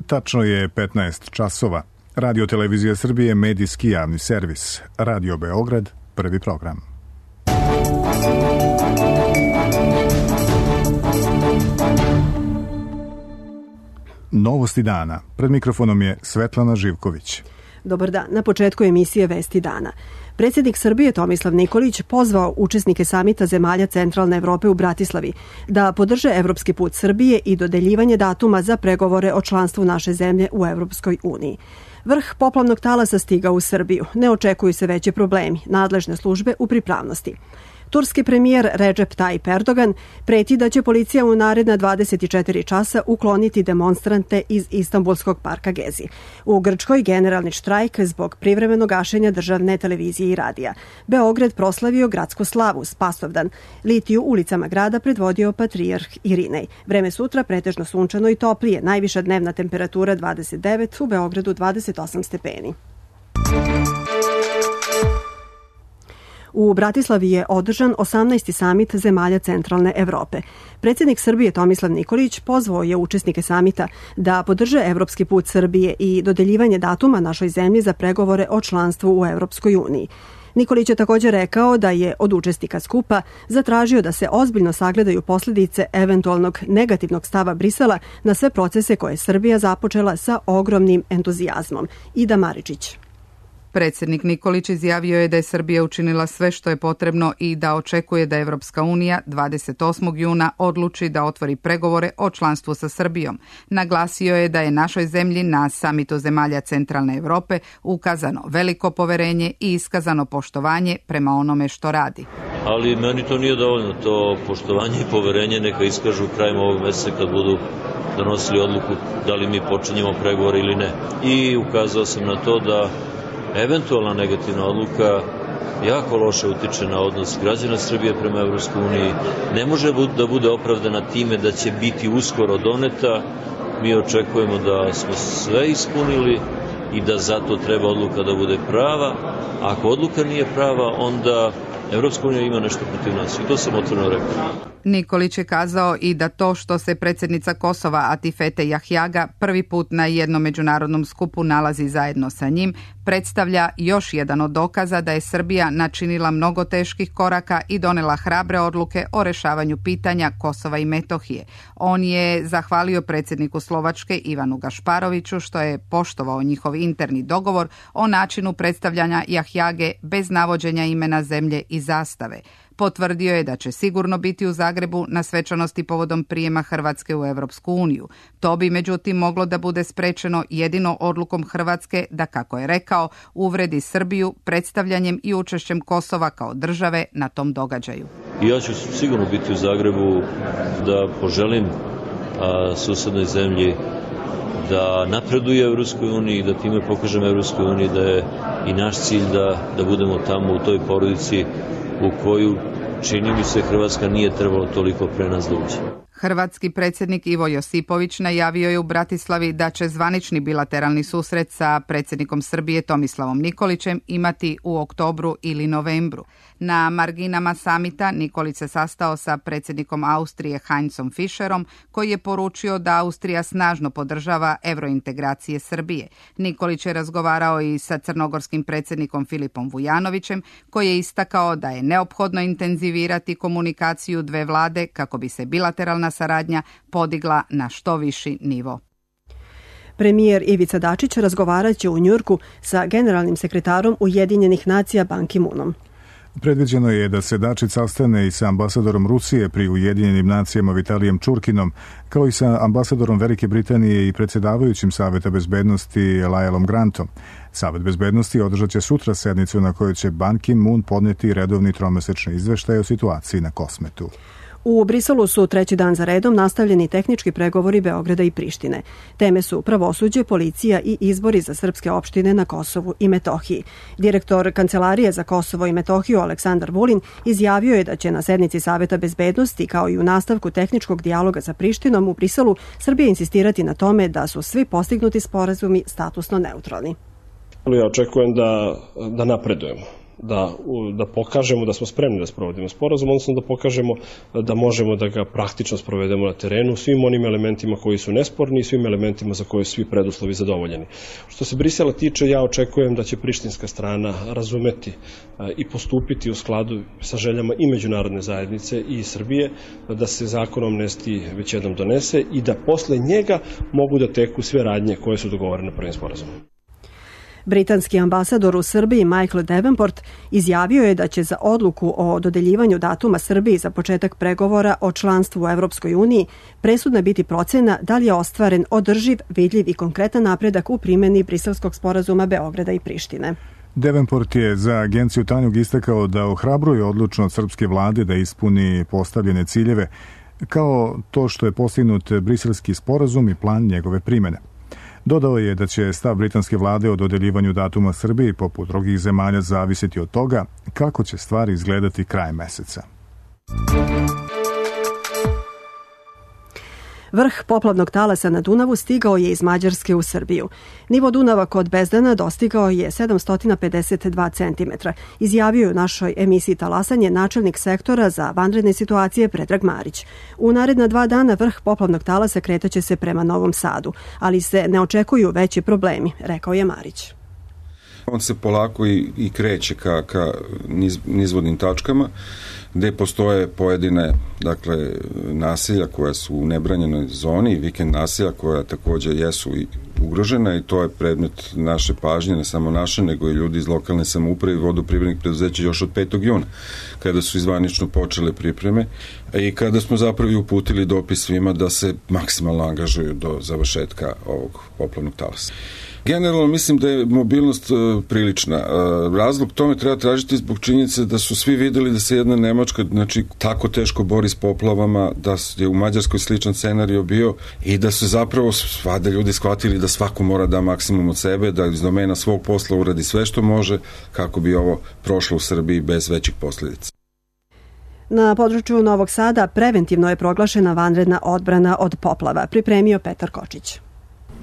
Tačno je 15 časova. Radio Televizija Srbije, medijski javni servis. Radio Beograd, prvi program. Novosti dana. Pred mikrofonom je Svetlana Živković. Dobar dan. Na početku emisije Vesti dana. Predsjednik Srbije Tomislav Nikolić pozvao učesnike samita zemalja Centralne Evrope u Bratislavi da podrže evropski put Srbije i dodeljivanje datuma za pregovore o članstvu naše zemlje u Evropskoj uniji. Vrh poplavnog talasa stigao u Srbiju. Ne očekuju se veće problemi. Nadležne službe u pripravnosti. Turski premijer Recep Tayyip Erdogan preti da će policija u naredna 24 časa ukloniti demonstrante iz Istanbulskog parka Gezi. U Grčkoj generalni štrajk zbog privremenog gašenja državne televizije i radija. Beograd proslavio gradsku slavu Spasovdan. Litiju ulicama grada predvodio patrijarh Irinej. Vreme sutra pretežno sunčano i toplije. Najviša dnevna temperatura 29, u Beogradu 28 stepeni. U Bratislavi je održan 18. samit zemalja Centralne Evrope. Predsjednik Srbije Tomislav Nikolić pozvao je učesnike samita da podrže evropski put Srbije i dodeljivanje datuma našoj zemlji za pregovore o članstvu u Evropskoj uniji. Nikolić je također rekao da je od učesnika skupa zatražio da se ozbiljno sagledaju posljedice eventualnog negativnog stava Brisela na sve procese koje je Srbija započela sa ogromnim entuzijazmom. Ida Maričić. Predsjednik Nikolić izjavio je da je Srbija učinila sve što je potrebno i da očekuje da Evropska unija 28. juna odluči da otvori pregovore o članstvu sa Srbijom. Naglasio je da je našoj zemlji na samitu zemalja Centralne Evrope ukazano veliko poverenje i iskazano poštovanje prema onome što radi. Ali meni to nije dovoljno, to poštovanje i poverenje neka iskažu krajem ovog mjeseca kad budu donosili odluku da li mi počinjemo pregovore ili ne. I ukazao sam na to da eventualna negativna odluka jako loše utiče na odnos građana Srbije prema Evropskoj uniji. Ne može da bude opravdana time da će biti uskoro doneta. Mi očekujemo da smo sve ispunili i da zato treba odluka da bude prava. Ako odluka nije prava, onda Evropska unija ima nešto protiv nas i to sam otvoreno rekao. Nikolić je kazao i da to što se predsjednica Kosova Atifete Jahjaga prvi put na jednom međunarodnom skupu nalazi zajedno sa njim, predstavlja još jedan od dokaza da je Srbija načinila mnogo teških koraka i donela hrabre odluke o rešavanju pitanja Kosova i Metohije. On je zahvalio predsjedniku Slovačke Ivanu Gašparoviću što je poštovao njihov interni dogovor o načinu predstavljanja Jahjage bez navođenja imena zemlje i zastave. Potvrdio je da će sigurno biti u Zagrebu na svečanosti povodom prijema Hrvatske u Evropsku uniju. To bi međutim moglo da bude sprečeno jedino odlukom Hrvatske da, kako je rekao, uvredi Srbiju predstavljanjem i učešćem Kosova kao države na tom događaju. Ja ću sigurno biti u Zagrebu da poželim susednoj zemlji da napreduje u Evropskoj uniji, da time pokažemo Evropskoj uniji da je i naš cilj da budemo tamo u toj porodici u koju, čini mi se, Hrvatska nije trebalo toliko pre nas da uđe. Hrvatski predsjednik Ivo Josipović najavio je u Bratislavi da će zvanični bilateralni susret sa predsjednikom Srbije Tomislavom Nikolićem imati u oktobru ili novembru. Na marginama samita Nikolić se sastao sa predsjednikom Austrije Heinzom Fischerom, koji je poručio da Austrija snažno podržava evrointegracije Srbije. Nikolić je razgovarao i sa crnogorskim predsjednikom Filipom Vujanovićem, koji je istakao da je neophodno intenzivirati komunikaciju dve vlade kako bi se bilateralna saradnja podigla na što viši nivo. Premijer Ivica Dačić razgovarat će u Njujorku sa generalnim sekretarom Ujedinjenih nacija Ban Ki-moonom. Predviđeno je da se Dačić sastane i sa ambasadorom Rusije pri Ujedinjenim nacijama Vitalijem Čurkinom, kao i sa ambasadorom Velike Britanije i predsjedavajućim Saveta bezbednosti Laelom Grantom. Savet bezbednosti održat će sutra sednicu na kojoj će Ban Ki-moon podnijeti redovni tromesečni izveštaj o situaciji na Kosmetu. U Briselu su treći dan za redom nastavljeni tehnički pregovori Beograda i Prištine. Teme su pravosuđe, policija i izbori za srpske opštine na Kosovu i Metohiji. Direktor Kancelarije za Kosovo i Metohiju Aleksandar Vulin izjavio je da će na sednici Saveta bezbednosti, kao i u nastavku tehničkog dijaloga sa Prištinom u Briselu, Srbija insistirati na tome da su svi postignuti sporazumi statusno neutralni. Ja očekujem da napredujemo. da pokažemo da smo spremni da sprovodimo sporazum, odnosno da pokažemo da možemo da ga praktično sprovedemo na terenu svim onim elementima koji su nesporni i svim elementima za koje su svi preduslovi zadovoljeni. Što se Brisela tiče, ja očekujem da će prištinska strana razumeti i postupiti u skladu sa željama i međunarodne zajednice i Srbije, da se zakon o amnestiji već jednom donese i da posle njega mogu da teku sve radnje koje su dogovorene prvim sporazumom. Britanski ambasador u Srbiji Michael Davenport izjavio je da će za odluku o dodeljivanju datuma Srbiji za početak pregovora o članstvu u Evropskoj uniji presudna biti procena da li je ostvaren održiv, vidljiv i konkretan napredak u primjeni Briselskog sporazuma Beograda i Prištine. Davenport je za agenciju Tanjug istakao da ohrabruje odlučnost srpske vlade da ispuni postavljene ciljeve, kao to što je postignut Briselski sporazum i plan njegove primjene. Dodao je da će stav britanske vlade o dodeljivanju datuma Srbiji poput drugih zemalja zavisiti od toga kako će stvari izgledati krajem meseca. Vrh poplavnog talasa na Dunavu stigao je iz Mađarske u Srbiju. Nivo Dunava kod Bezdana dostigao je 752 cm, izjavio je u našoj emisiji Talasanje načelnik sektora za vanredne situacije Predrag Marić. U naredna 2 dana vrh poplavnog talasa kretaće se prema Novom Sadu, ali se ne očekuju veći problemi, rekao je Marić. On se polako i kreće ka nizvodnim tačkama, gde postoje pojedine naselja koja su u nebranjenoj zoni i vikend naselja koja također jesu i ugrožena i to je predmet naše pažnje, ne samo naše, nego i ljudi iz lokalne samouprave i vodoprivrednih preduzeća još od 5. juna, kada su izvanično počele pripreme i kada smo zapravo uputili dopis svima da se maksimalno angažuju do završetka ovog poplavnog talasa. Generalno mislim da je mobilnost prilična. Razlog tome treba tražiti zbog činjenice da su svi videli da se jedna Nemačka tako teško bori s poplavama, da je u Mađarskoj sličan scenario bio i da su zapravo svada ljudi shvatili da svako mora da maksimum od sebe, da iz domena svog posla uradi sve što može kako bi ovo prošlo u Srbiji bez većih posljedica. Na području Novog Sada preventivno je proglašena vanredna odbrana od poplava, pripremio Petar Kočić.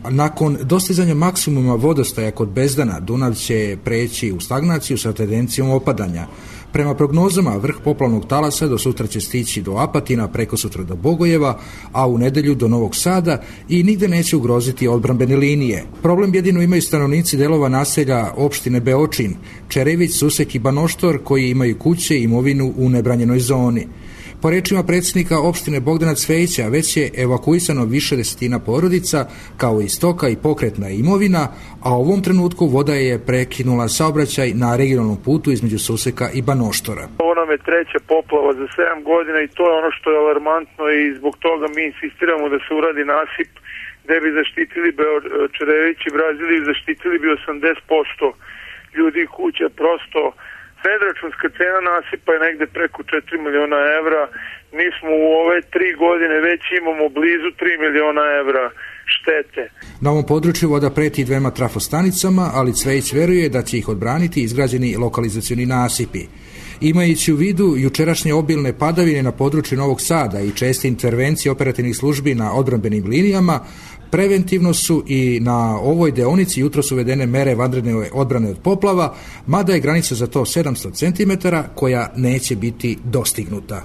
Nakon dostizanja maksimuma vodostaja kod Bezdana, Dunav će preći u stagnaciju sa tendencijom opadanja. Prema prognozama, vrh poplavnog talasa do sutra će stići do Apatina, preko sutra do Bogojeva, a u nedelju do Novog Sada i nigde neće ugroziti odbrambene linije. Problem jedino imaju stanovnici delova naselja opštine Beočin, Čerević, Susek i Banoštor, koji imaju kuće i imovinu u nebranjenoj zoni. Po rečima predsjednika opštine Bogdana Cvejića, već je evakuisano više desetina porodica, kao i stoka i pokretna imovina, a u ovom trenutku voda je prekinula saobraćaj na regionalnom putu između Suseka i Banoštora. Ovo nam je 3. poplava za 7 godina i to je ono što je alarmantno i zbog toga mi insistiramo da se uradi nasip gde bi zaštitili Čerević i Braziliju, zaštitili bi 80% ljudi i kuća. Prosto predračunska cena nasipa je negde preko 4 miliona evra. Mi smo u ove 3 godine već imamo blizu 3 miliona evra štete. Na ovom području voda preti 2 trafostanicama, ali Cvejić veruje da će ih odbraniti izgrađeni lokalizacioni nasipi. Imajući u vidu jučerašnje obilne padavine na području Novog Sada i česte intervencije operativnih službi na odbrambenim linijama, preventivno su i na ovoj deonici jutros uvedene mere vanredne odbrane od poplava, mada je granica za to 700 cm koja neće biti dostignuta.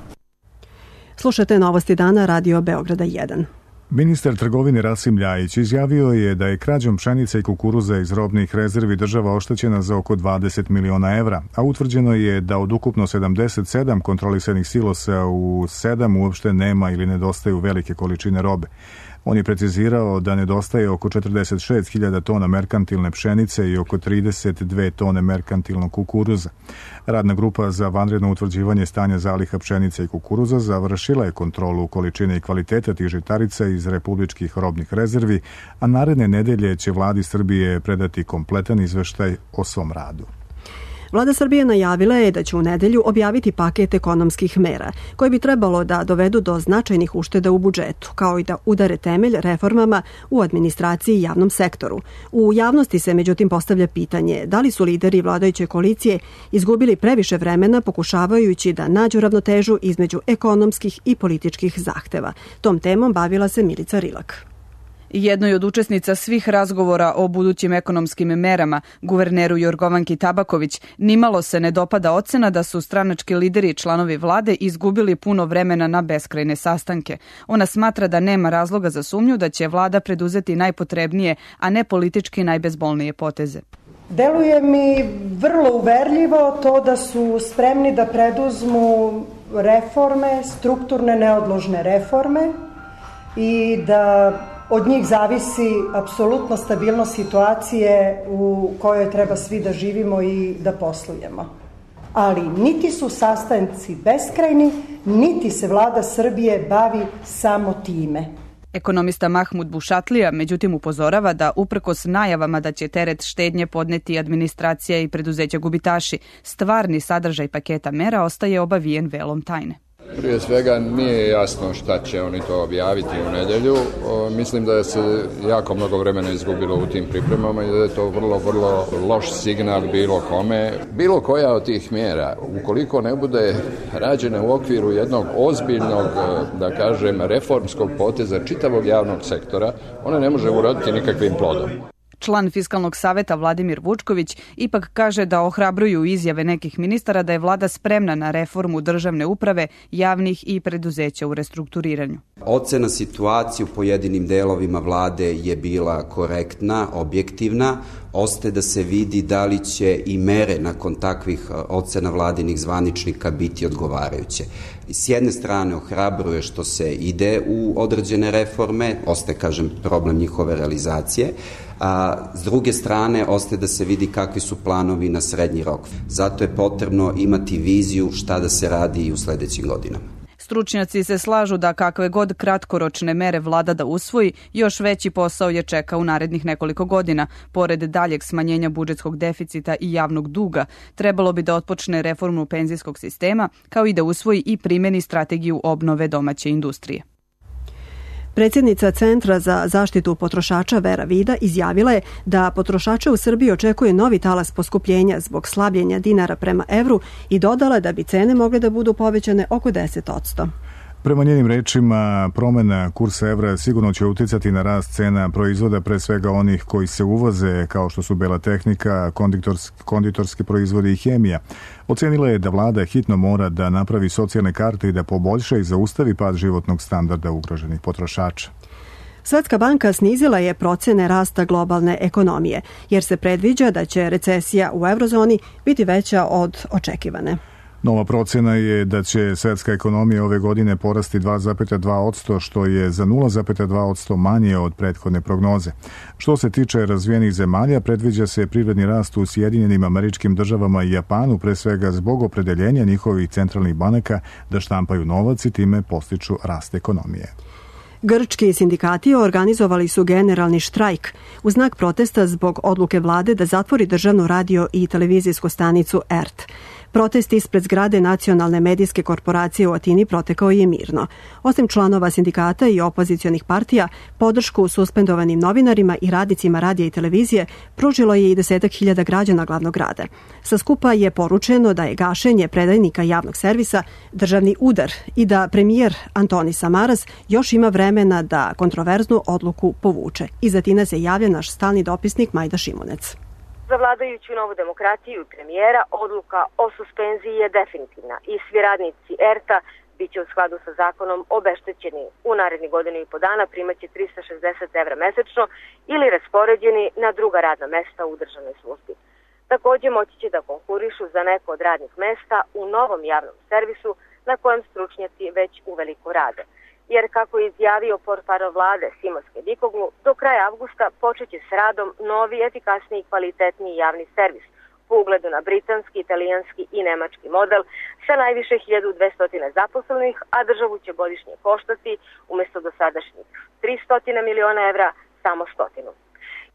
Slušate Novosti dana, Radio Beograda 1. Ministar trgovine Rasim Ljajić izjavio je da je krađom pšenice i kukuruza iz robnih rezervi država oštećena za oko 20 miliona evra, a utvrđeno je da od ukupno 77 kontrolisanih silosa u 7 uopšte nema ili nedostaju velike količine robe. On je precizirao da nedostaje oko 46.000 tona merkantilne pšenice i oko 32 tone merkantilnog kukuruza. Radna grupa za vanredno utvrđivanje stanja zaliha pšenice i kukuruza završila je kontrolu količine i kvaliteta tih žitarica iz republičkih robnih rezervi, a naredne nedelje će vladi Srbije predati kompletan izveštaj o svom radu. Vlada Srbije najavila je da će u nedelju objaviti paket ekonomskih mera, koji bi trebalo da dovedu do značajnih ušteda u budžetu, kao i da udare temelj reformama u administraciji i javnom sektoru. U javnosti se međutim postavlja pitanje da li su lideri vladajuće koalicije izgubili previše vremena pokušavajući da nađu ravnotežu između ekonomskih i političkih zahteva. Tom temom bavila se Milica Rilak. Jednoj od učesnica svih razgovora o budućim ekonomskim merama, guverneru Jorgovanki Tabaković, nimalo se ne dopada ocena da su stranački lideri i članovi vlade izgubili puno vremena na beskrajne sastanke. Ona smatra da nema razloga za sumnju da će vlada preduzeti najpotrebnije, a ne politički najbezbolnije poteze. Deluje mi vrlo uverljivo to da su spremni da preduzmu reforme, strukturne neodložne reforme i da od njih zavisi apsolutno stabilnost situacije u kojoj treba svi da živimo i da poslujemo. Ali niti su sastanci beskrajni, niti se vlada Srbije bavi samo time. Ekonomista Mahmud Bušatlija međutim upozorava da uprkos najavama da će teret štednje podneti administracija i preduzeća gubitaši, stvarni sadržaj paketa mera ostaje obavijen velom tajne. Prije svega nije jasno šta će oni to objaviti u nedjelju. Mislim da se jako mnogo vremena izgubilo u tim pripremama i da je to vrlo, vrlo loš signal bilo kome. Bilo koja od tih mjera, ukoliko ne bude rađena u okviru jednog ozbiljnog, da kažem, reformskog poteza čitavog javnog sektora, ona ne može uroditi nikakvim plodom. Član Fiskalnog saveta Vladimir Vučković ipak kaže da ohrabruju izjave nekih ministara da je vlada spremna na reformu državne uprave, javnih i preduzeća u restrukturiranju. Ocena situacije u pojedinim delovima vlade je bila korektna, objektivna. Ostaje da se vidi da li će i mere nakon takvih ocena vladinih zvaničnika biti odgovarajuće. S jedne strane ohrabruje što se ide u određene reforme, ostaje, kažem, problem njihove realizacije, a s druge strane ostaje da se vidi kakvi su planovi na srednji rok. Zato je potrebno imati viziju šta da se radi i u sledećim godinama. Stručnjaci se slažu da kakve god kratkoročne mere vlada da usvoji, još veći posao je čeka u narednih nekoliko godina. Pored daljeg smanjenja budžetskog deficita i javnog duga, trebalo bi da otpočne reformu penzijskog sistema, kao i da usvoji i primeni strategiju obnove domaće industrije. Predsjednica Centra za zaštitu potrošača Vera Vida izjavila je da potrošače u Srbiji očekuje novi talas poskupljenja zbog slabljenja dinara prema evru i dodala da bi cene mogle da budu povećane oko 10%. Prema njenim rečima, promena kursa evra sigurno će uticati na rast cena proizvoda, pre svega onih koji se uvoze, kao što su bela tehnika, konditorski proizvodi i hemija. Ocenila je da vlada hitno mora da napravi socijalne karte i da poboljša i zaustavi pad životnog standarda ugroženih potrošača. Svetska banka snizila je procene rasta globalne ekonomije, jer se predviđa da će recesija u eurozoni biti veća od očekivane. Nova procena je da će svetska ekonomija ove godine porasti 2,2%, što je za 0,2% manje od prethodne prognoze. Što se tiče razvijenih zemalja, predviđa se privredni rast u Sjedinjenim Američkim Državama i Japanu, pre svega zbog opredeljenja njihovih centralnih banaka da štampaju novac i time postiču rast ekonomije. Grčki sindikati organizovali su generalni štrajk u znak protesta zbog odluke vlade da zatvori državnu radio i televizijsku stanicu ERT. Protest ispred zgrade Nacionalne medijske korporacije u Atini protekao je mirno. Osim članova sindikata i opozicionih partija, podršku suspendovanim novinarima i radnicima radija i televizije pružilo je i 10.000 građana glavnog grada. Sa skupa je poručeno da je gašenje predajnika javnog servisa državni udar i da premijer Antonis Samaras još ima vremena da kontroverznu odluku povuče. Iz Atine se javlja naš stalni dopisnik Majda Šimunec. Za vladajuću Novu demokratiju i premijera odluka o suspenziji je definitivna i svi radnici ERT-a bit će u skladu sa zakonom obeštećeni. U naredni godinu i po dana primaće 360 evra mesečno ili raspoređeni na druga radna mesta u državnoj službi. Također moći će da konkurišu za neko od radnih mesta u novom javnom servisu na kojem stručnjaci već uveliko rade. Jer, kako je izjavio portparol vlade Simoske Dikoglu, do kraja avgusta počeće s radom novi, efikasniji i kvalitetniji javni servis po ugledu na britanski, italijanski i nemački model sa najviše 1200 zaposlenih, a državu će godišnje koštati umjesto dosadašnjih 300 miliona evra samo 100.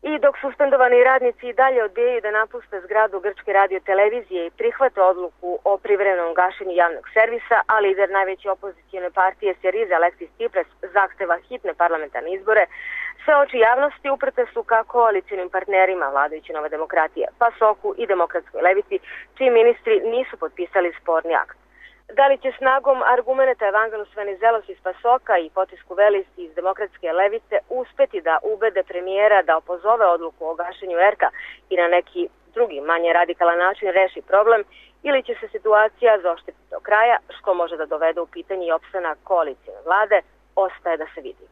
I dok suspendovani radnici i dalje odbijaju da napuste zgradu Grčke radiotelevizije i prihvate odluku o privremenom gašenju javnog servisa, a lider najveće opozicijone partije Syriza Aleksis Tsipras zahteva hitne parlamentarne izbore, sve oči javnosti uprte su ka koalicijnim partnerima vladajuće Nova demokratija, PASOK-u i Demokratskoj levici, čiji ministri nisu potpisali sporni akt. Da li će snagom argumenata Evangelus Venizelos iz Pasoka i potisku Velisti iz demokratske levice uspeti da ubede premijera da opozove odluku o gašenju ERK-a i na neki drugi, manje radikalan način reši problem, ili će se situacija zaoštriti do kraja, što može da dovede u pitanje i opstanak koalicijne vlade, ostaje da se vidi.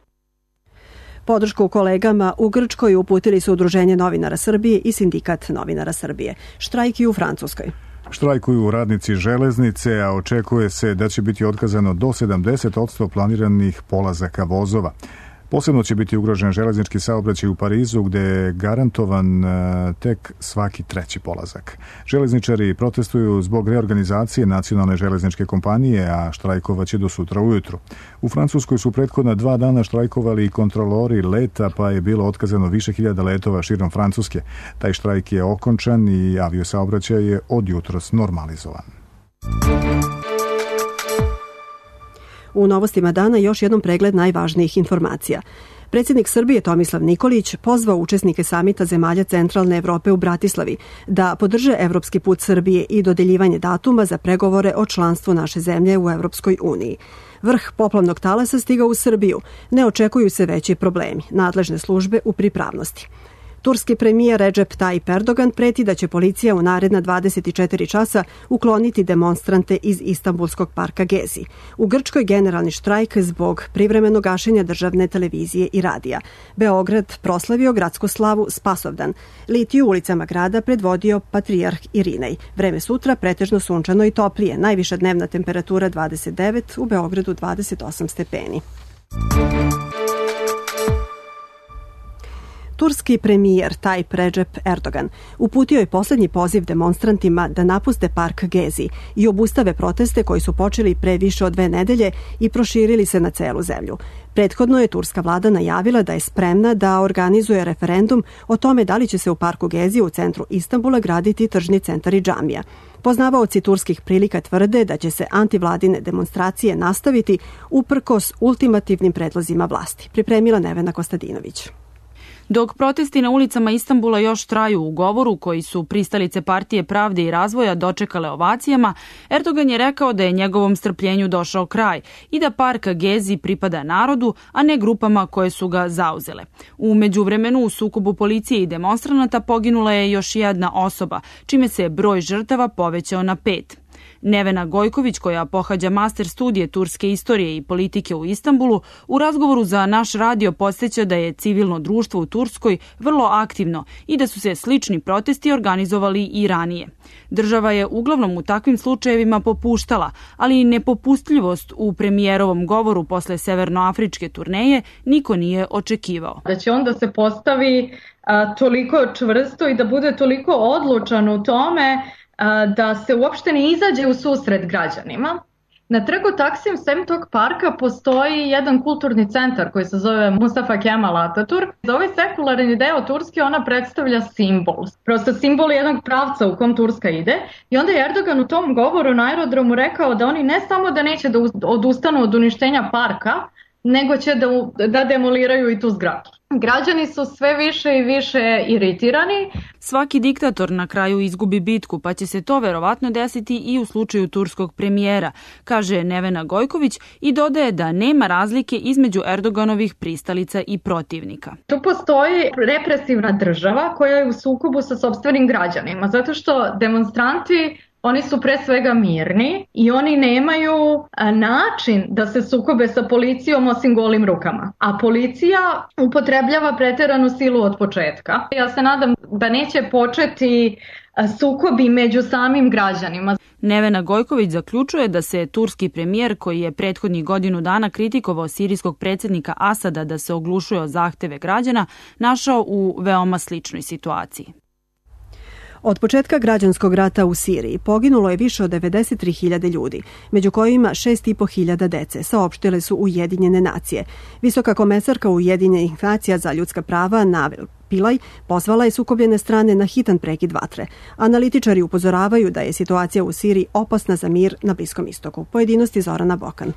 Podršku kolegama u Grčkoj uputili su Udruženje novinara Srbije i Sindikat novinara Srbije. Štrajk i u Francuskoj. Štrajkuju radnici železnice, a očekuje se da će biti otkazano do 70% planiranih polazaka vozova. Posebno će biti ugrožen železnički saobraćaj u Parizu, gde je garantovan tek svaki treći polazak. Železničari protestuju zbog reorganizacije nacionalne železničke kompanije, a štrajkovaće do sutra ujutru. U Francuskoj su prethodna 2 dana štrajkovali i kontrolori leta, pa je bilo otkazano više hiljada letova širom Francuske. Taj štrajk je okončan i aviosaobraćaj je od jutros normalizovan. U novostima dana još jednom pregled najvažnijih informacija. Predsjednik Srbije Tomislav Nikolić pozvao učesnike samita zemalja Centralne Evrope u Bratislavi da podrže evropski put Srbije i dodeljivanje datuma za pregovore o članstvu naše zemlje u Evropskoj uniji. Vrh poplavnog talasa stigao u Srbiju. Ne očekuju se veći problemi. Nadležne službe u pripravnosti. Turski premijer Recep Tayyip Erdogan preti da će policija u naredna 24 časa ukloniti demonstrante iz Istanbulskog parka Gezi. U Grčkoj generalni štrajk zbog privremenog gašenja državne televizije i radija. Beograd proslavio gradsku slavu Spasovdan. Litiju ulicama grada predvodio patrijarh Irinej. Vreme sutra pretežno sunčano i toplije. Najviša dnevna temperatura 29, u Beogradu 28 stepeni. Turski premijer Tayyip Recep Erdogan uputio je posljednji poziv demonstrantima da napuste park Gezi i obustave proteste koji su počeli pre više od 2 nedelje i proširili se na celu zemlju. Prethodno je turska vlada najavila da je spremna da organizuje referendum o tome da li će se u parku Gezi u centru Istanbula graditi tržni centar i džamija. Poznavaoci turskih prilika tvrde da će se antivladine demonstracije nastaviti uprkos ultimativnim predlozima vlasti. Pripremila Nevena Kostadinović. Dok protesti na ulicama Istanbula još traju u govoru koji su pristalice Partije pravde i razvoja dočekale ovacijama, Erdogan je rekao da je njegovom strpljenju došao kraj i da park Gezi pripada narodu, a ne grupama koje su ga zauzele. U međuvremenu u sukobu policije i demonstranata poginula je još jedna osoba, čime se broj žrtava povećao na 5. Nevena Gojković, koja pohađa master studije turske istorije i politike u Istanbulu, u razgovoru za naš radio podsjeća da je civilno društvo u Turskoj vrlo aktivno i da su se slični protesti organizovali i ranije. Država je uglavnom u takvim slučajevima popuštala, ali nepopustljivost u premijerovom govoru posle severnoafričke turneje niko nije očekivao. Da će onda se postavi toliko čvrsto i da bude toliko odlučan u tome da se uopšte ne izađe u susret građanima. Na trgu Taksim sem tog parka postoji jedan kulturni centar koji se zove Mustafa Kemal Atatürk. Za ovaj sekularni deo Turske ona predstavlja simbol. Prosto simbol jednog pravca u kom Turska ide. I onda je Erdogan u tom govoru na aerodromu rekao da oni ne samo da neće da odustanu od uništenja parka, nego će da demoliraju i tu zgradu. Građani su sve više i više iritirani. Svaki diktator na kraju izgubi bitku, pa će se to verovatno desiti i u slučaju turskog premijera, kaže Nevena Gojković i dodaje da nema razlike između Erdoganovih pristalica i protivnika. Tu postoji represivna država koja je u sukobu sa sopstvenim građanima, zato što demonstranti oni su pre svega mirni i oni nemaju način da se sukobe sa policijom osim golim rukama. A policija upotrebljava preteranu silu od početka. Ja se nadam da neće početi sukobi među samim građanima. Nevena Gojković zaključuje da se turski premijer, koji je prethodnih godinu dana kritikovao sirijskog predsjednika Asada da se oglušuje o zahteve građana, našao u veoma sličnoj situaciji. Od početka građanskog rata u Siriji poginulo je više od 93.000 ljudi, među kojima 6.500 dece, saopštile su Ujedinjene nacije. Visoka komesarka Ujedinjenih nacija za ljudska prava Navel Pilaj pozvala je sukobljene strane na hitan prekid vatre. Analitičari upozoravaju da je situacija u Siriji opasna za mir na Bliskom istoku. Pojedinosti Zorana Bokan.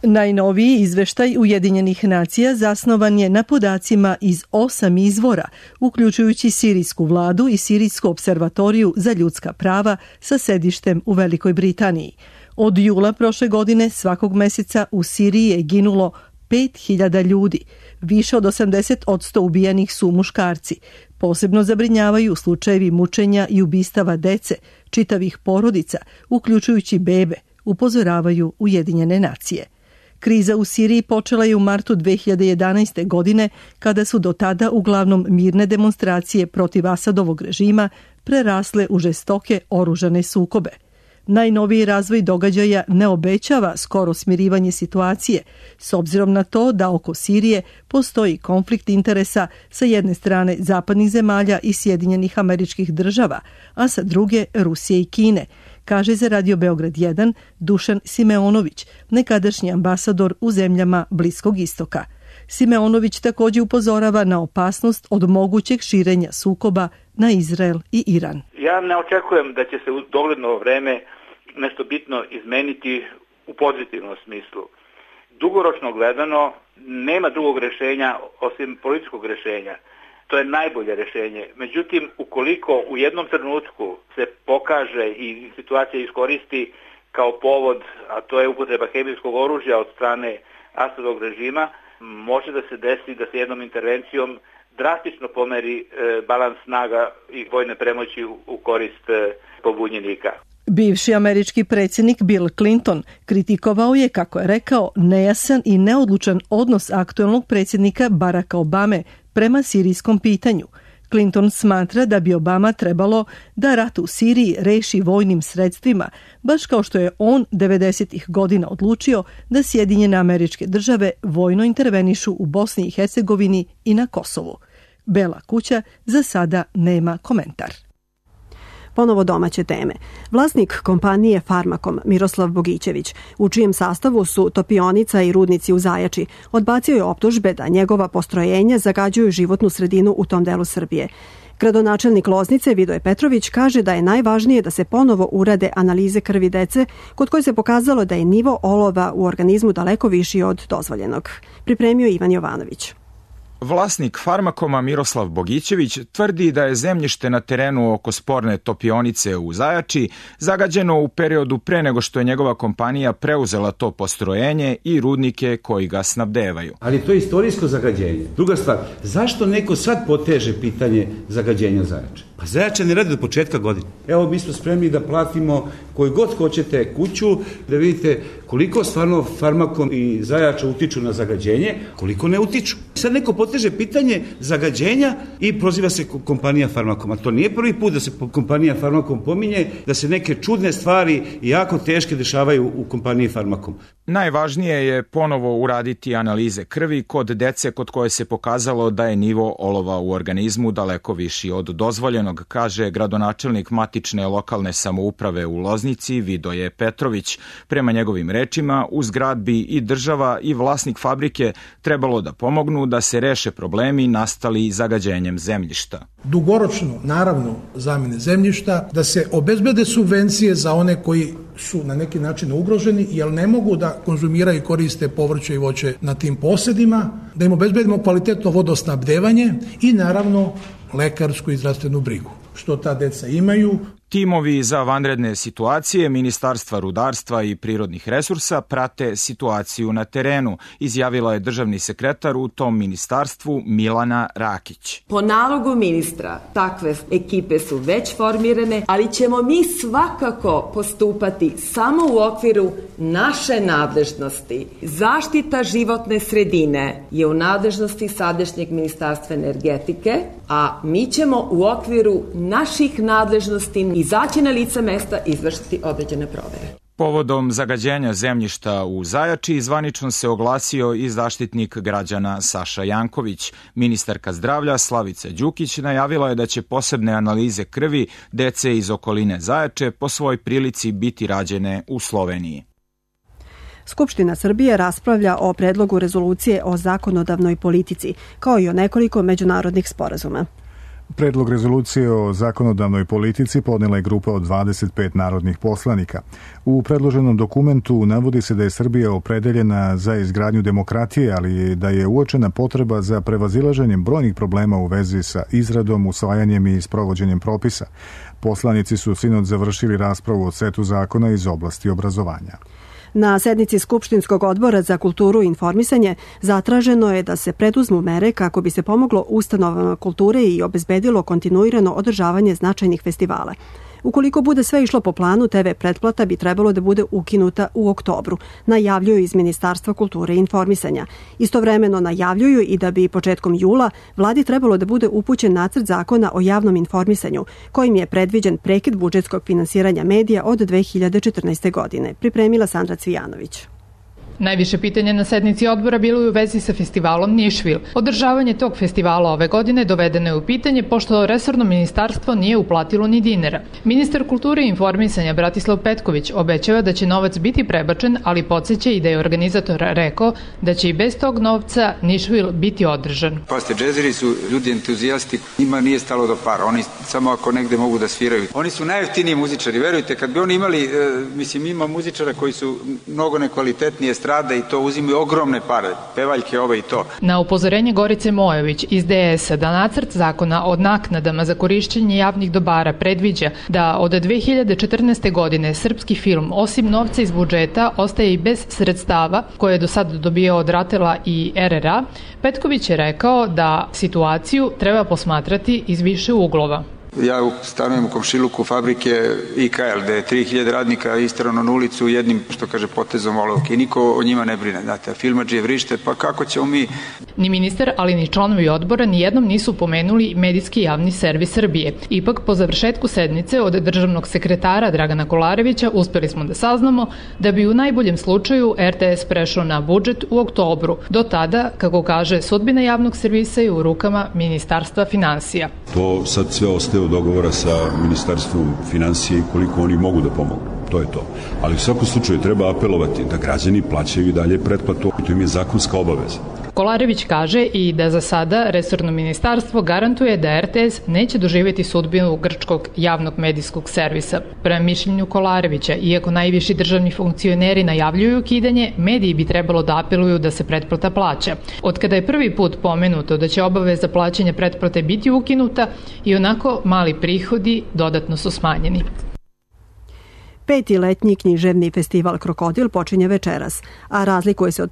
Najnoviji izveštaj Ujedinjenih nacija zasnovan je na podacima iz 8 izvora, uključujući sirijsku vladu i Sirijsku observatoriju za ljudska prava sa sedištem u Velikoj Britaniji. Od jula prošle godine svakog meseca u Siriji je ginulo 5000 ljudi. Više od 80% ubijenih su muškarci. Posebno zabrinjavaju slučajevi mučenja i ubistava dece, čitavih porodica, uključujući bebe, upozoravaju Ujedinjene nacije. Kriza u Siriji počela je u martu 2011. godine, kada su do tada uglavnom mirne demonstracije protiv Asadovog režima prerasle u žestoke oružane sukobe. Najnoviji razvoj događaja ne obećava skoro smirivanje situacije, s obzirom na to da oko Sirije postoji konflikt interesa sa jedne strane zapadnih zemalja i Sjedinjenih Američkih Država, a sa druge Rusije i Kine, kaže za Radio Beograd 1 Dušan Simeonović, nekadašnji ambasador u zemljama Bliskog istoka. Simeonović također upozorava na opasnost od mogućeg širenja sukoba na Izrael i Iran. Ja ne očekujem da će se u dogledno vreme nešto bitno izmeniti u pozitivnom smislu. Dugoročno gledano nema drugog rješenja osim političkog rješenja. To je najbolje rješenje. Međutim, ukoliko u jednom trenutku se pokaže i situacija iskoristi kao povod, a to je upotreba hemijskog oružja od strane Asadovog režima, može da se desi da se jednom intervencijom drastično pomeri balans snaga i vojne premoći u korist pobunjenika. Bivši američki predsjednik Bill Clinton kritikovao je, kako je rekao, nejasan i neodlučan odnos aktualnog predsjednika Baracka Obame prema sirijskom pitanju. Clinton smatra da bi Obama trebalo da rat u Siriji reši vojnim sredstvima, baš kao što je on 90-ih godina odlučio da Sjedinjene Američke Države vojno intervenišu u Bosni i Hercegovini i na Kosovu. Bela kuća za sada nema komentar. Ponovo domaće teme. Vlasnik kompanije Farmakom, Miroslav Bogićević, u čijem sastavu su topionica i rudnici u Zajači, odbacio je optužbe da njegova postrojenja zagađuju životnu sredinu u tom delu Srbije. Gradonačelnik Loznice Vidoje Petrović kaže da je najvažnije da se ponovo urade analize krvi dece, kod koje se pokazalo da je nivo olova u organizmu daleko viši od dozvoljenog. Pripremio Ivan Jovanović. Vlasnik Farmakoma Miroslav Bogićević tvrdi da je zemljište na terenu oko sporne topionice u Zajači zagađeno u periodu pre nego što je njegova kompanija preuzela to postrojenje i rudnike koji ga snabdevaju. Ali to je istorijsko zagađenje. Druga stvar, zašto neko sad poteže pitanje zagađenja Zajača? Pa Zajača ne radi do početka godine. Evo, mi smo spremni da platimo koju god hoćete kuću, da vidite koliko stvarno Farmakom i Zajača utiču na zagađenje, koliko ne utiču. Sad neko poteže pitanje zagađenja i proziva se kompanija Farmakom. A to nije prvi put da se kompanija Farmakom pominje, da se neke čudne stvari jako teške dešavaju u kompaniji Farmakom. Najvažnije je ponovo uraditi analize krvi kod dece kod koje se pokazalo da je nivo olova u organizmu daleko viši od dozvoljenog, kaže gradonačelnik matične lokalne samouprave u Loznici Vidoje Petrović. Prema njegovim rečima, uz grad bi i država i vlasnik fabrike trebalo da pomognu da se reše problemi nastali zagađenjem zemljišta. Dugoročno, naravno, zamjene zemljišta, da se obezbede subvencije za one koji su na neki način ugroženi, jer ne mogu da konzumiraju i koriste povrće i voće na tim posedima, da im obezbedimo kvalitetno vodosnabdevanje i naravno lekarsku i zdravstvenu brigu, što ta deca imaju. Timovi za vanredne situacije Ministarstva rudarstva i prirodnih resursa prate situaciju na terenu, izjavila je državni sekretar u tom ministarstvu Milana Rakić. Po nalogu ministra takve ekipe su već formirane, ali ćemo mi svakako postupati samo u okviru naše nadležnosti. Zaštita životne sredine je u nadležnosti sadašnjeg Ministarstva energetike, a mi ćemo u okviru naših nadležnosti izaći na lice mesta i izvršiti određene provere. Povodom zagađenja zemljišta u Zajači zvanično se oglasio i zaštitnik građana Saša Janković. Ministarka zdravlja Slavica Đukić najavila je da će posebne analize krvi dece iz okoline Zajače po svoj prilici biti rađene u Sloveniji. Skupština Srbije raspravlja o predlogu rezolucije o zakonodavnoj politici, kao i o nekoliko međunarodnih sporazuma. Predlog rezolucije o zakonodavnoj politici podnela je grupa od 25 narodnih poslanika. U predloženom dokumentu navodi se da je Srbija opredeljena za izgradnju demokratije, ali da je uočena potreba za prevazilaženjem brojnih problema u vezi sa izradom, usvajanjem i sprovođenjem propisa. Poslanici su sinoć završili raspravu o setu zakona iz oblasti obrazovanja. Na sednici Skupštinskog odbora za kulturu i informisanje zatraženo je da se preduzmu mere kako bi se pomoglo ustanovama kulture i obezbedilo kontinuirano održavanje značajnih festivala. Ukoliko bude sve išlo po planu, TV pretplata bi trebalo da bude ukinuta u oktobru, najavljuju iz Ministarstva kulture i informisanja. Istovremeno najavljuju i da bi početkom jula vladi trebalo da bude upućen nacrt zakona o javnom informisanju, kojim je predviđen prekid budžetskog finansiranja medija od 2014. godine. Pripremila Sandra Cvijanović. Najviše pitanja na sednici odbora bilo je u vezi sa festivalom Nišvil. Održavanje tog festivala ove godine dovedeno je u pitanje pošto resorno ministarstvo nije uplatilo ni dinara. Ministar kulture i informisanja Bratislav Petković obećava da će novac biti prebačen, ali podsjeća i da je organizator rekao da će i bez tog novca Nišvil biti održan. Poste, džezeri su ljudi entuzijasti, njima nije stalo do para, oni samo ako negde mogu da sviraju. Oni su najjeftiniji muzičari, verujte, kad bi oni imali, ima muzičara koji su mnogo nekvalitetnije strada i to uzimaju ogromne pare, pevaljke ove i to. Na upozorenje Gorice Mojović iz DS-a da nacrt zakona o naknadama za korišćenje javnih dobara predviđa da od 2014. godine srpski film osim novca iz budžeta ostaje i bez sredstava koje je do sada dobio od RATEL-a i RRA, Petković je rekao da situaciju treba posmatrati iz više uglova. Ja stanujem u komšiluku fabrike IKL, gde je 3000 radnika isterano na ulicu jednim, što kaže, potezom olovke i niko o njima ne brine. Znate, filmadžije vrište, pa kako ćemo mi... Ni ministar, ali ni članovi odbora nijednom nisu pomenuli medijski javni servis Srbije. Ipak, po završetku sednice od državnog sekretara Dragana Kolarevića uspeli smo da saznamo da bi u najboljem slučaju RTS prešao na budžet u oktobru. Do tada, kako kaže, sudbina javnog servisa je u rukama Ministarstva finansija. To sad sve ostaje u dogovora sa Ministarstvom finansije i koliko oni mogu da pomogu. To je to. Ali u svakom slučaju treba apelovati da građani plaćaju i dalje pretplatu. To im je zakonska obaveza. Kolarević kaže i da za sada resorno ministarstvo garantuje da RTS neće doživjeti sudbinu grčkog javnog medijskog servisa. Prema mišljenju Kolarevića, iako najviši državni funkcioneri najavljuju ukidanje, mediji bi trebalo da apeluju da se pretplata plaća. Od kada je prvi put pomenuto da će obaveza plaćanja pretplate biti ukinuta, i onako mali prihodi dodatno su smanjeni. 5. letnji književni festival Krokodil počinje večeras, a razlikuje se od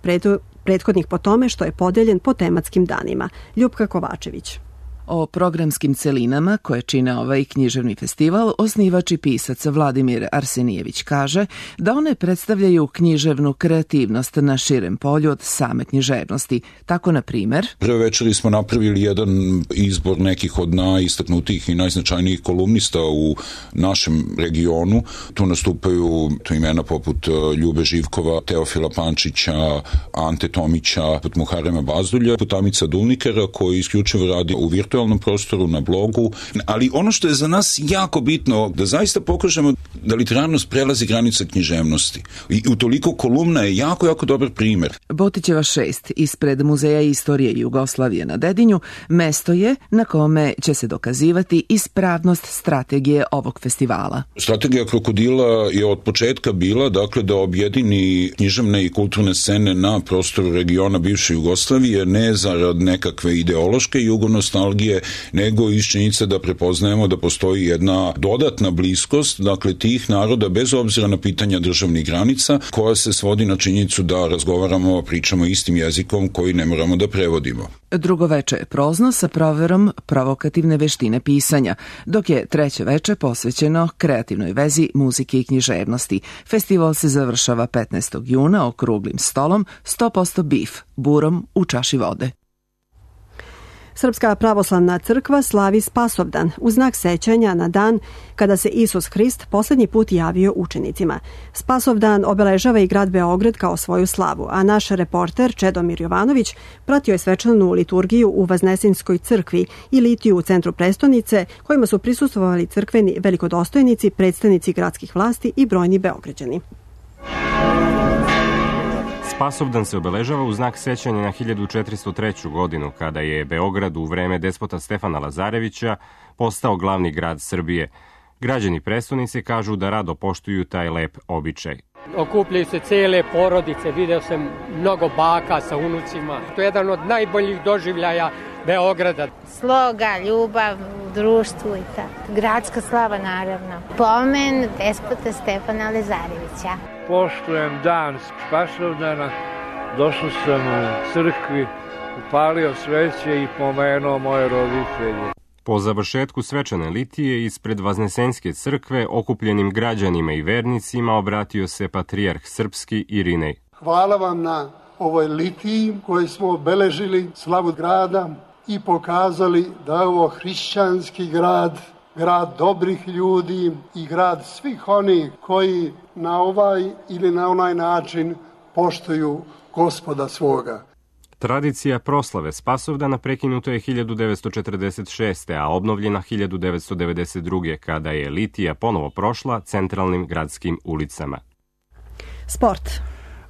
prethodnih po tome što je podeljen po tematskim danima. Ljupka Kovačević. O programskim celinama koje čine ovaj književni festival, osnivač i pisac Vladimir Arsenijević kaže da one predstavljaju književnu kreativnost na širem polju od same književnosti. Tako, na primer... Prve večeri smo napravili jedan izbor nekih od najistaknutijih i najznačajnijih kolumnista u našem regionu. Tu nastupaju imena poput Ljube Živkova, Teofila Pančića, Ante Tomića, poput Muharema Bazdulja, poput Amica Dulnikera, koji isključivo radi u virtualnom prostoru, na blogu, ali ono što je za nas jako bitno, da zaista pokažemo da literarnost prelazi granice književnosti. I utoliko kolumna je jako, jako dobar primer. Botićeva 6 ispred Muzeja istorije Jugoslavije na Dedinju mesto je na kome će se dokazivati ispravnost strategije ovog festivala. Strategija Krokodila je od početka bila, dakle, da objedini književne i kulturne scene na prostoru regiona bivše Jugoslavije, ne zarad nekakve ideološke jugonostalgije, nego iz činjenice da prepoznajemo da postoji jedna dodatna bliskost, dakle, tih naroda bez obzira na pitanja državnih granica, koja se svodi na činjenicu da razgovaramo, pričamo istim jezikom koji ne moramo da prevodimo. Drugo veče je prozno sa proverom provokativne veštine pisanja, dok je treće veče posvećeno kreativnoj vezi muzike i književnosti. Festival se završava 15. juna okruglim stolom 100% bif, burom u čaši vode. Srpska pravoslavna crkva slavi Spasovdan u znak sećanja na dan kada se Isus Hrist poslednji put javio učenicima. Spasovdan obeležava i grad Beograd kao svoju slavu, a naš reporter Čedomir Jovanović pratio je svečanu liturgiju u Vaznesinskoj crkvi i litiju u centru prestonice, kojima su prisustvovali crkveni velikodostojnici, predstavnici gradskih vlasti i brojni Beograđani. Spasovdan se obeležava u znak sećanja na 1403. godinu, kada je Beograd u vreme despota Stefana Lazarevića postao glavni grad Srbije. Građani prestonice kažu da rado poštuju taj lep običaj. Okupljaju se cele porodice, video sam mnogo baka sa unucima. To je jedan od najboljih doživljaja Beograda. Sloga, ljubav u društvu i tako. Gradska slava naravno. Pomen despota Stefana Lazarevića. Poštujem dan Spasovdana, došao sam u crkvi, upalio sveće i pomenuo moje roditelje. Po završetku svečane litije ispred Vaznesenske crkve okupljenim građanima i vernicima obratio se patrijarh srpski Irinej. Hvala vam na ovoj litiji koju smo obeležili slavu grada i pokazali da je ovo hrišćanski grad, grad dobrih ljudi i grad svih onih koji na ovaj ili na onaj način poštuju Gospoda svoga. Tradicija proslave Spasovdana prekinuta je 1946. a obnovljena 1992. kada je litija ponovo prošla centralnim gradskim ulicama. Sport.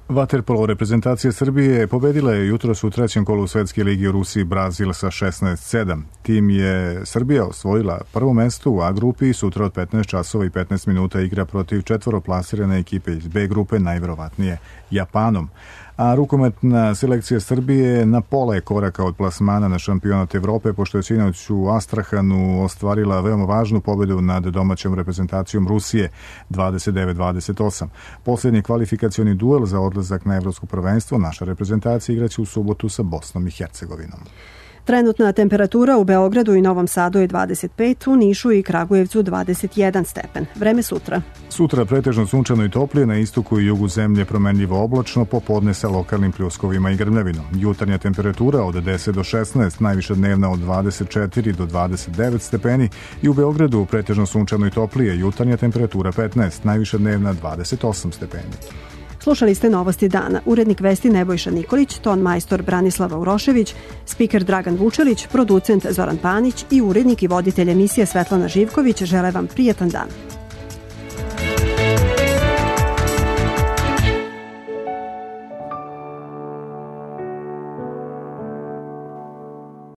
Vaterpolo reprezentacija Srbije pobedila je jutros u trećem kolu Svetske lige u Rusiji Brazil sa 16-7. Tim je Srbija osvojila prvo mesto u A grupi i sutra od 15 časova i 15 minuta igra protiv četvoroplasirane ekipe iz B grupe, najverovatnije Japanom. A rukometna selekcija Srbije na pola je koraka od plasmana na šampionat Evrope, pošto je sinoć u Astrahanu ostvarila veoma važnu pobedu nad domaćom reprezentacijom Rusije 29-28. Posljednji kvalifikacioni duel za odlazak na evropsko prvenstvo naša reprezentacija igraće u subotu sa Bosnom i Hercegovinom. Trenutna temperatura u Beogradu i Novom Sadu je 25, u Nišu i Kragujevcu 21 stepen. Vreme sutra. Sutra pretežno sunčano i toplije, na istoku i jugu zemlje promenljivo oblačno, popodne sa lokalnim pljuskovima i grmljavinom. Jutarnja temperatura od 10 do 16, najviša dnevna od 24 do 29 stepeni i u Beogradu pretežno sunčano i toplije, jutarnja temperatura 15, najviša dnevna 28 stepeni. Slušali ste Novosti dana. Urednik vesti Nebojša Nikolić, ton majstor Branislava Urošević, spiker Dragan Vučelić, producent Zoran Panić i urednik i voditelj emisije Svetlana Živković žele vam prijatan dan.